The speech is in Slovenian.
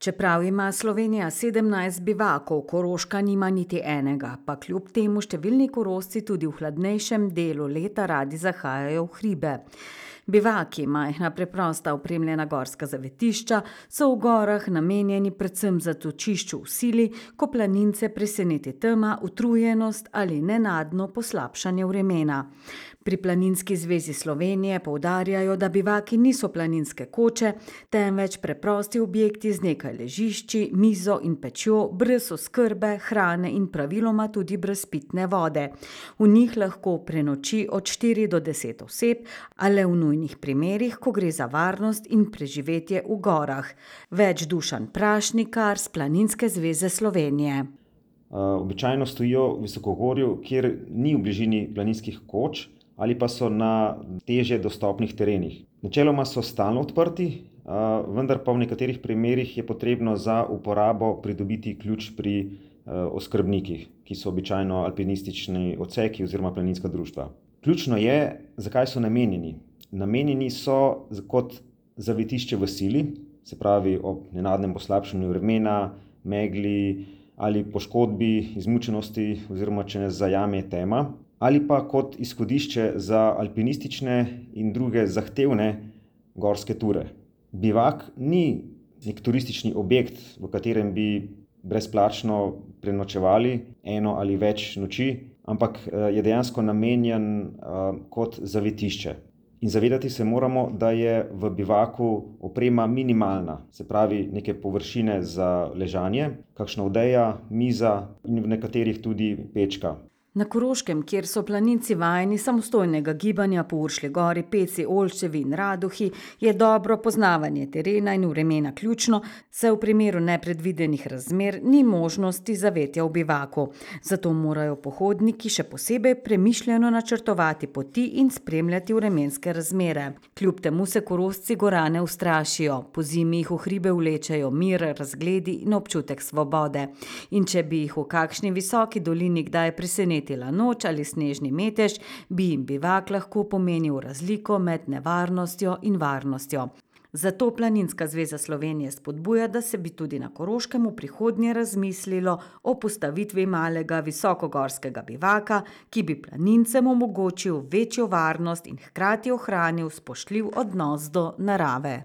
Čeprav ima Slovenija 17 bivakov, Koroška nima niti enega, pa kljub temu številni Korošci tudi v hladnejšem delu leta radi zahajajo v hribe. Bivaki, majhna preprosta opremljena gorska zavetišča, so v gorah namenjeni predvsem zatočišču v sili, ko planince preseneti tema, utrujenost ali nenadno poslabšanje vremena. Pri Planinski zvezi Slovenije poudarjajo, da bivaki niso planinske koče, temveč preprosti objekti z nekaj ležišči, mizo in pečjo, brez oskrbe, hrane in praviloma tudi brez pitne vode. V njih lahko prenoči od 4 do 10 oseb, a le v nujnih primerih, ko gre za varnost in preživetje v gorah. Več Dušan Prašnikar s Planinske zveze Slovenije. Običajno stojijo v visokogorju, kjer ni v bližini planinskih koč, ali pa so na težje dostopnih terenih. Načeloma so stalno odprti, vendar pa v nekaterih primerih je potrebno za uporabo pridobiti ključ pri oskrbnikih, ki so običajno alpinistični odseki oziroma planinska društva. Ključno je, zakaj so namenjeni. Namenjeni so kot zavetišče v sili, se pravi ob nenadnem poslabšanju vremena, megli ali poškodbi, izmučenosti oziroma če nas zajame tema, ali pa kot izhodišče za alpinistične in druge zahtevne gorske ture. Bivak ni nek turistični objekt, v katerem bi brezplačno prenočevali eno ali več noči, ampak je dejansko namenjen kot zavetišče. In zavedati se moramo, da je v bivaku oprema minimalna, se pravi neke površine za ležanje, kakšna odeja, miza in v nekaterih tudi pečka. Na Koroškem, kjer so planinci vajeni samostojnega gibanja po Uršlji gori, Peci, Olščevi in Raduhi, je dobro poznavanje terena in vremena ključno, saj v primeru nepredvidenih razmer ni možnosti zavetja v bivaku. Zato morajo pohodniki še posebej premišljeno načrtovati poti in spremljati vremenske razmere. Kljub temu se Korošci gora ne ustrašijo. Pozimi jih v hribe vlečejo mir, razgledi in občutek svobode. In če bi jih v kakšni visoki dolini kdaj presenetila noč ali snežni metež, bi jim bivak lahko pomenil razliko med nevarnostjo in varnostjo. Zato Planinska zveza Slovenije spodbuja, da se bi tudi na Koroškem v prihodnje razmislilo o postavitvi malega visokogorskega bivaka, ki bi planincem omogočil večjo varnost in hkrati ohranil spoštljiv odnos do narave.